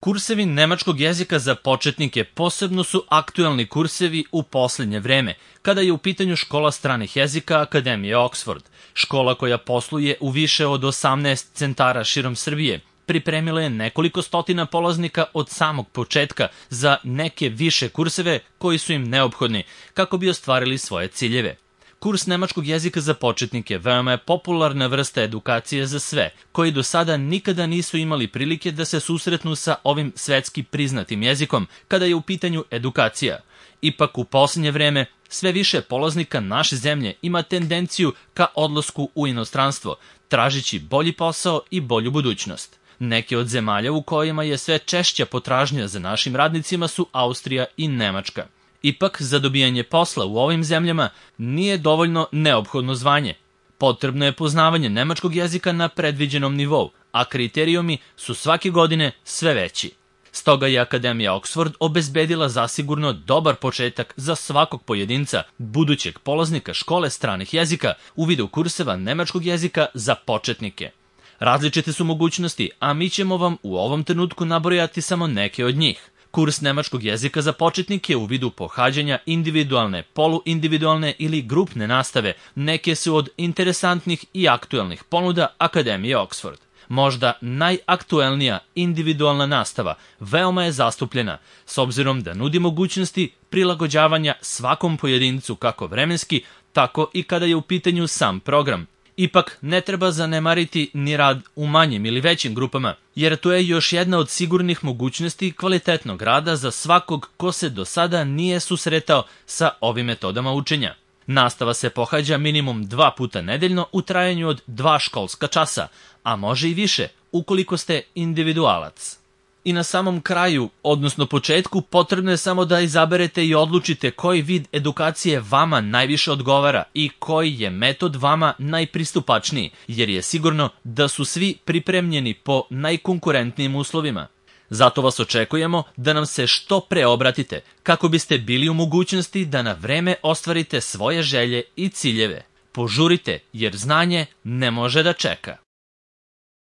Kursevi nemačkog jezika za početnike posebno su aktuelni kursevi u posljednje vreme, kada je u pitanju škola stranih jezika Akademije Oxford. Škola koja posluje u više od 18 centara širom Srbije, pripremila je nekoliko stotina polaznika od samog početka za neke više kurseve koji su im neophodni kako bi ostvarili svoje ciljeve. Kurs nemačkog jezika za početnike veoma je popularna vrsta edukacije za sve, koji do sada nikada nisu imali prilike da se susretnu sa ovim svetski priznatim jezikom kada je u pitanju edukacija. Ipak u posljednje vreme sve više polaznika naše zemlje ima tendenciju ka odlasku u inostranstvo, tražići bolji posao i bolju budućnost. Neke od zemalja u kojima je sve češća potražnja za našim radnicima su Austrija i Nemačka. Ipak, za dobijanje posla u ovim zemljama nije dovoljno neophodno zvanje. Potrebno je poznavanje nemačkog jezika na predviđenom nivou, a kriterijumi su svake godine sve veći. Stoga je Akademija Oxford obezbedila zasigurno dobar početak za svakog pojedinca, budućeg polaznika škole stranih jezika u vidu kurseva nemačkog jezika za početnike. Različite su mogućnosti, a mi ćemo vam u ovom trenutku nabrojati samo neke od njih. Kurs nemačkog jezika za početnike u vidu pohađanja individualne, poluindividualne ili grupne nastave neke su od interesantnih i aktuelnih ponuda Akademije Oxford. Možda najaktuelnija individualna nastava veoma je zastupljena, s obzirom da nudi mogućnosti prilagođavanja svakom pojedincu kako vremenski, tako i kada je u pitanju sam program. Ipak ne treba zanemariti ni rad u manjim ili većim grupama, jer to je još jedna od sigurnih mogućnosti kvalitetnog rada za svakog ko se do sada nije susretao sa ovim metodama učenja. Nastava se pohađa minimum 2 puta nedeljno u trajanju od 2 školska časa, a može i više ukoliko ste individualac. I na samom kraju, odnosno početku, potrebno je samo da izaberete i odlučite koji vid edukacije vama najviše odgovara i koji je metod vama najpristupačniji, jer je sigurno da su svi pripremljeni po najkonkurentnijim uslovima. Zato vas očekujemo da nam se što pre obratite, kako biste bili u mogućnosti da na vreme ostvarite svoje želje i ciljeve. Požurite, jer znanje ne može da čeka.